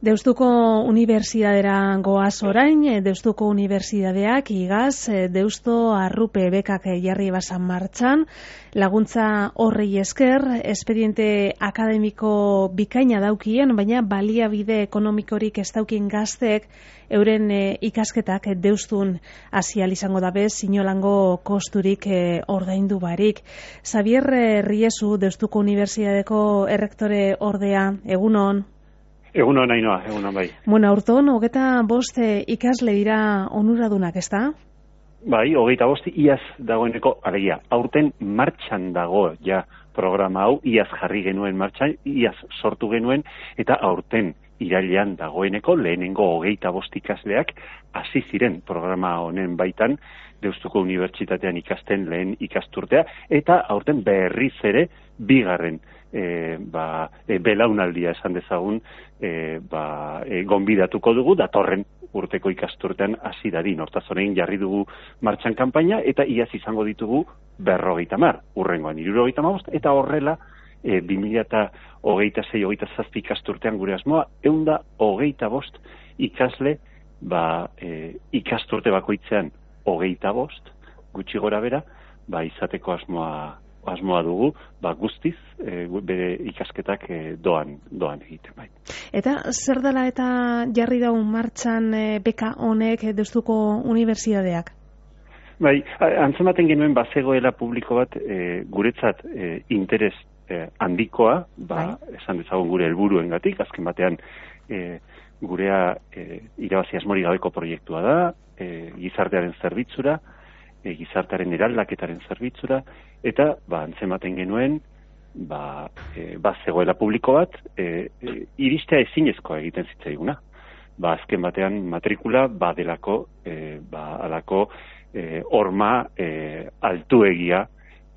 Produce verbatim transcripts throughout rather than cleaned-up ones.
Deustuko Unibertsitatera goaz orain, Deustuko Unibertsitateak igaz, Deusto Arrupe bekak jarri basan martxan, laguntza horrei esker, espediente akademiko bikaina daukien, baina baliabide ekonomikorik ez daukien gazteek euren e, ikasketak Deustun hasial izango dabe, sinolango kosturik e, ordaindu barik. Xavier Riesu, Deustuko Unibertsitateko errektore ordea, egunon. Egunon, Ainoa, egunon bai. Bueno, aurton, hogeta bost ikasle dira onuradunak, ez da? Bai, hogeita bost iaz dagoeneko, alegia, aurten martxan dago ja programa hau, iaz jarri genuen martxan, iaz sortu genuen, eta aurten irailean dagoeneko lehenengo hogeita bost ikasleak hasi ziren programa honen baitan, Deustuko Unibertsitatean ikasten lehen ikasturtea, eta aurten berriz ere bigarren E, ba, e, belaunaldia esan dezagun e, ba, e, gonbidatuko dugu datorren urteko ikasturtean hasi dadin. Hortaz orain jarri dugu martxan kanpaina eta iaz izango ditugu berrogeita hamar, urrengoan hirurogeita hamabost, eta horrela e, bi mila hogeita sei hogeita zazpi ikasturtean gure asmoa ehun eta hogeita bost ikasle ba, e, ikasturte bakoitzean hogeita bost gutxi gora bera ba, izateko asmoa asmoa dugu, ba, guztiz, e, bere ikasketak e, doan, doan egiten bai. Eta zer dela eta jarri daun martxan e, beka honek Deustuko Unibertsitateak? Bai, antzematen genuen bazegoela publiko bat e, guretzat e, interes e, handikoa, ba, bai. Esan dezagun gure helburuengatik, azken batean e, gurea e, irabazi asmori gabeko proiektua da, e, gizartearen zerbitzura, e, gizartearen eraldaketaren zerbitzura, eta ba, antzematen genuen ba, e, ba zegoela publiko bat e, e, iristea ezinezkoa egiten zitzaiguna. Ba, azken batean matrikula badelako e, ba, alako e, horma e, altuegia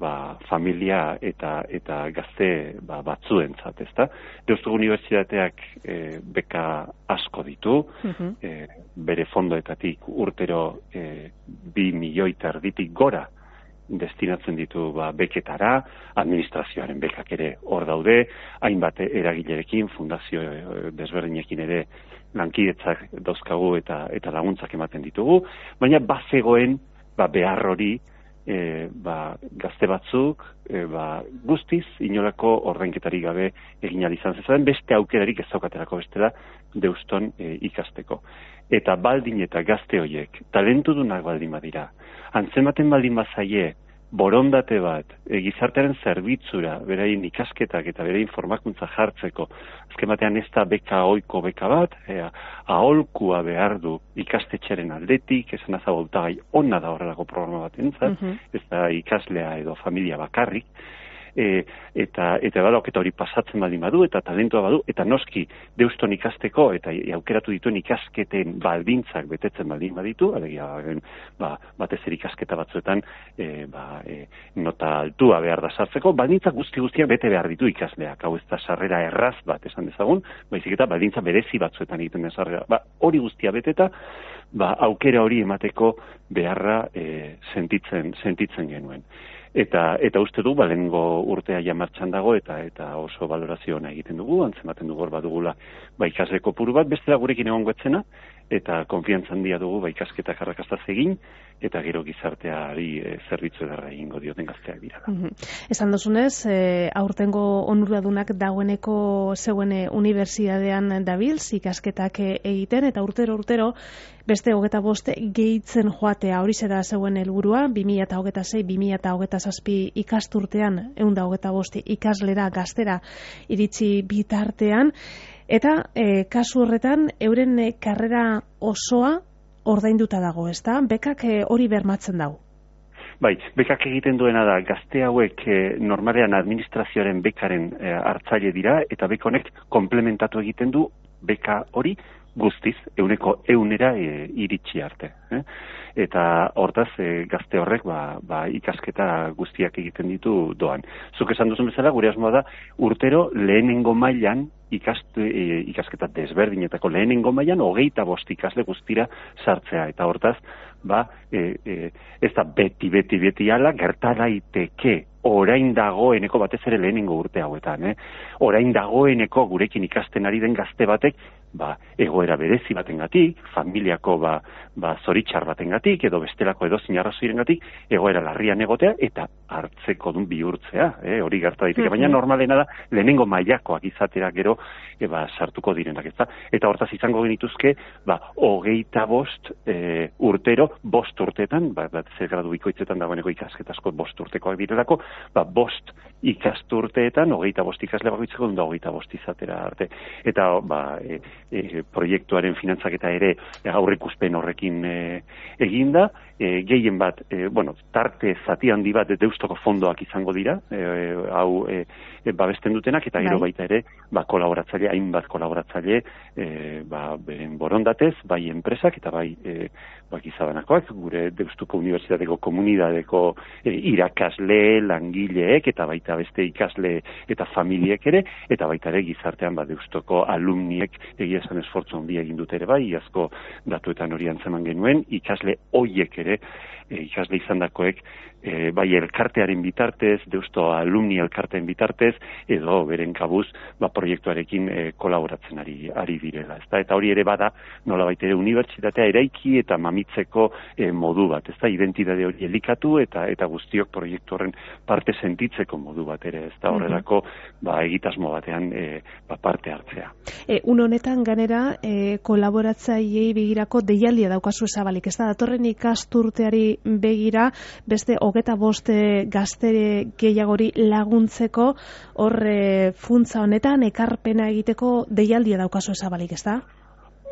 ba, familia eta eta gazte ba, batzuentzat, ezta? Deustuko Unibertsitateak e, beka asko ditu, uh-huh. e, bere fondoetatik urtero e, bi milioi terditik gora destinatzen ditu ba, beketara, administrazioaren bekak ere hor daude, hainbat eragilerekin, fundazio desberdinekin ere lankidetzak dauzkagu eta eta laguntzak ematen ditugu, baina bazegoen ba, behar hori e, ba, gazte batzuk e, ba, guztiz inolako ordainketarik gabe egin ahal izan zezaren, beste aukerarik ez daukaterako bestela Deuston e, ikasteko. Eta baldin eta gazte horiek, talentudunak baldin badira, antzematen baldin bazaie, borondate bat, e, gizartearen zerbitzura, beraien ikasketak eta beraien formakuntza jartzeko, azken batean ez da beka oiko beka bat, e, aholkua behar du ikastetxeren aldetik, esan azaboltagai onna da horrelako programa bat entzat, uh-huh. ez da ikaslea edo familia bakarrik, E, eta eta badok eta hori pasatzen baldin badu eta talentua badu eta noski Deuston ikasteko eta aukeratu dituen ikasketen baldintzak betetzen baldin baditu, alegia ba, batez ere ikasketa batzuetan e, ba, e, nota altua behar da sartzeko, baldintza guzti guztiak bete behar ditu ikasleak, hau ez da sarrera erraz bat esan dezagun, baizik eta baldintza berezi batzuetan egiten den sarrera, ba, hori guztia beteta, ba, aukera hori emateko beharra e, sentitzen, sentitzen genuen. Eta eta uste du balengo urtea ja martxan dago eta eta oso valorazio ona egiten dugu, antzematen dugu hor badugula ba ikasle kopuru bat, bestela gurekin egongo etzena eta konfiantza handia dugu ba ikasketak arrakastaz egin eta gero gizarteari e, zerbitzu ederra egingo dioten gazteak dira. Mm-hmm. Esan dozunez, e, aurtengo onuradunak dagoeneko zeuen unibertsitatean dabilz ikasketak egiten eta urtero urtero beste hogeta bost gehitzen joatea, hori zera zeuen helburua, bi mila hogeita sei bi mila hogeita zazpi ikasturtean ehun eta hogeita bost ikaslera gaztera iritsi bitartean, eta e, kasu horretan euren e, karrera osoa ordainduta dago, ezta? Bekak e, hori bermatzen dago. Bai, bekak egiten duena da, gazte hauek e, normalean administrazioaren bekaren e, hartzaile dira, eta beka honek komplementatu egiten du beka hori guztiz, euneko eunera e, iritsi arte. Eh? Eta hortaz, e, gazte horrek ba, ba, ikasketa guztiak egiten ditu doan. Zuk esan duzun bezala, gure asmoa da, urtero lehenengo mailan ikastu, e, ikasketa desberdinetako lehenengo mailan hogeita bost ikasle guztira sartzea. Eta hortaz, ba, e, e, ez da beti, beti, beti ala, gerta daiteke orain dagoeneko batez ere lehenengo urte hauetan, eh? Orain dagoeneko gurekin ikasten ari den gazte batek ba, egoera berezi batengatik, familiako ba, ba, zoritxar batengatik, edo bestelako edozein arrazoirengatik, egoera larrian egotea, eta hartzeko dun bihurtzea, eh, hori gerta daiteke, baina normalena da, lehenengo mailakoak izatera gero, e, ba, sartuko direnak, ez da? Eta hortaz izango genituzke, ba, hogeita bost e, urtero, bost urteetan, ba, bat zer gradu bikoitzetan dagoeneko ikasketasko bost urtekoak direlako, ba, bost ikasturteetan, hogeita bost ikasle bakoitzeko dunda hogeita bost izatera arte. Eta, ba, e, e, proiektuaren finantzaketa ere aurreikuspen horrekin e, eginda, e, gehien bat, e, bueno, tarte zati handi bat Deustoko fondoak izango dira, e, hau e, e, babesten dutenak, eta gero baita ere, ba, kolaboratzaile, hainbat kolaboratzaile, e, ba, beren borondatez, bai enpresak eta bai e, ba, gizabanakoak, gure Deustuko Unibertsitateko komunidadeko e, irakasle, langileek, eta baita beste ikasle eta familiek ere, eta baita ere gizartean ba, Deustoko alumniek egia esan esfortzu handia egin dute ere bai, iazko datuetan hori antzeman genuen, ikasle hoiek ere, e, ikasle izandakoek, e, bai elkartearen bitartez, Deusto alumni elkarteen bitartez, edo beren kabuz, ba, proiektuarekin e, kolaboratzen ari, ari direla. Ezta? Eta hori ere bada, nolabait ere unibertsitatea eraiki eta mamitzeko e, modu bat, ezta? Identitate hori elikatu eta eta guztiok proiektu horren parte sentitzeko modu bat ere, ezta? Horrelako, ba, egitasmo batean e, ba, parte hartzea. E, un honetan ganera, e, kolaboratzailei begirako deialdia daukazu zabalik, ez da, datorren ikasturteari begira, beste hogeta boste gaztere gehiagori laguntzeko, hor e, funtza honetan, ekarpena egiteko deialdia daukazu zabalik, ez da?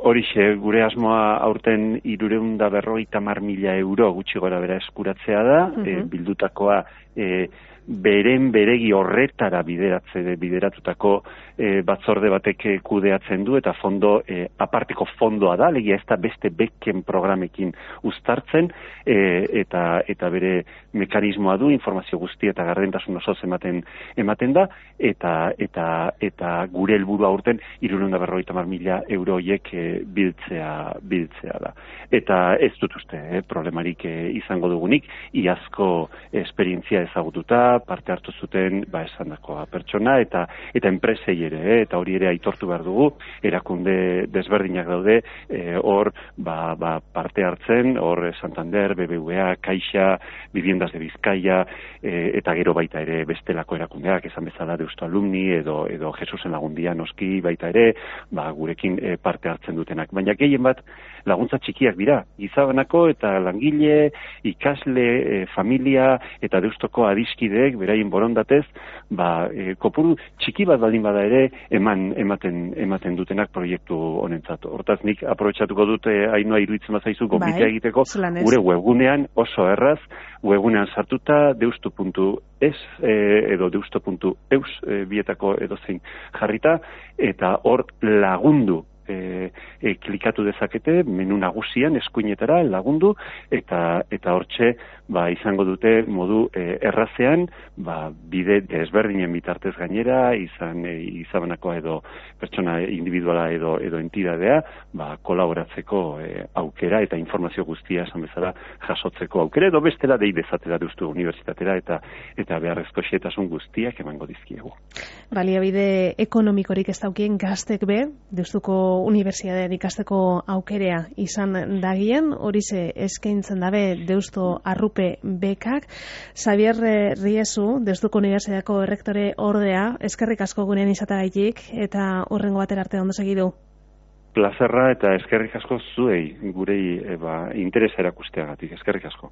Horixe, gure asmoa aurten hiruehun eta berrogeita hamar mila euro gutxi gora bera eskuratzea da, uh -huh. e, bildutakoa e, beren beregi horretara bideratze bideratutako e, batzorde batek kudeatzen du eta fondo e, aparteko fondoa da, legia ez da beste beken programekin uztartzen e, eta eta bere mekanismoa du, informazio guztia eta gardentasun osoz ematen ematen da eta eta eta gure helburua aurten hirurehun eta berrogeita hamar mila euro horiek e, biltzea biltzea da. Eta ez dut uste, eh, problemarik e, izango dugunik, iazko esperientzia ezagututa, parte hartu zuten ba esandakoa pertsona eta eta enpresei ere, eh, eta hori ere aitortu behar dugu, erakunde desberdinak daude hor eh, ba, ba parte hartzen, hor Santander, B B V A, Caixa, Viviendas de Bizkaia eh, eta gero baita ere bestelako erakundeak, esan bezala Deusto Alumni edo edo Jesusen Lagundia noski baita ere, ba gurekin eh, parte hartzen dutenak. Baina gehien bat laguntza txikiak dira, gizabanako eta langile, ikasle, eh, familia eta Deustoko adiskideek beraien borondatez, ba, e, kopuru txiki bat baldin bada ere eman ematen ematen dutenak proiektu honentzat. Hortaz nik aprobetxatuko dute Ainhoa iruditzen bazaizu gonbitea bai, egiteko gure webgunean oso erraz, webgunean sartuta deustu puntu es e, edo deusto puntu eus e, bietako edozein jarrita eta hor lagundu E, e, klikatu dezakete menu nagusian eskuinetara lagundu eta eta hortxe ba, izango dute modu e, errazean ba, bide desberdinen bitartez gainera izan e, izabanakoa edo pertsona individuala edo edo entidadea ba, kolaboratzeko e, aukera eta informazio guztia esan bezala jasotzeko aukera edo bestela dei dezatera Deustu Unibertsitatera eta eta beharrezko xehetasun guztiak emango dizkiegu. Baliabide ekonomikorik ez daukien gaztek be Deustuko Unibertsitatean ikasteko aukerea izan dagien, horize eskaintzen dabe Deusto Arrupe bekak. Xabier Riezu, Deustuko Unibertsitateko errektore ordea, eskerrik asko gunean izatagaitik eta horrengo batera arte ondo segidu. Plazerra eta eskerrik asko zuei, gurei eba, interesa erakusteagatik, eskerrik asko.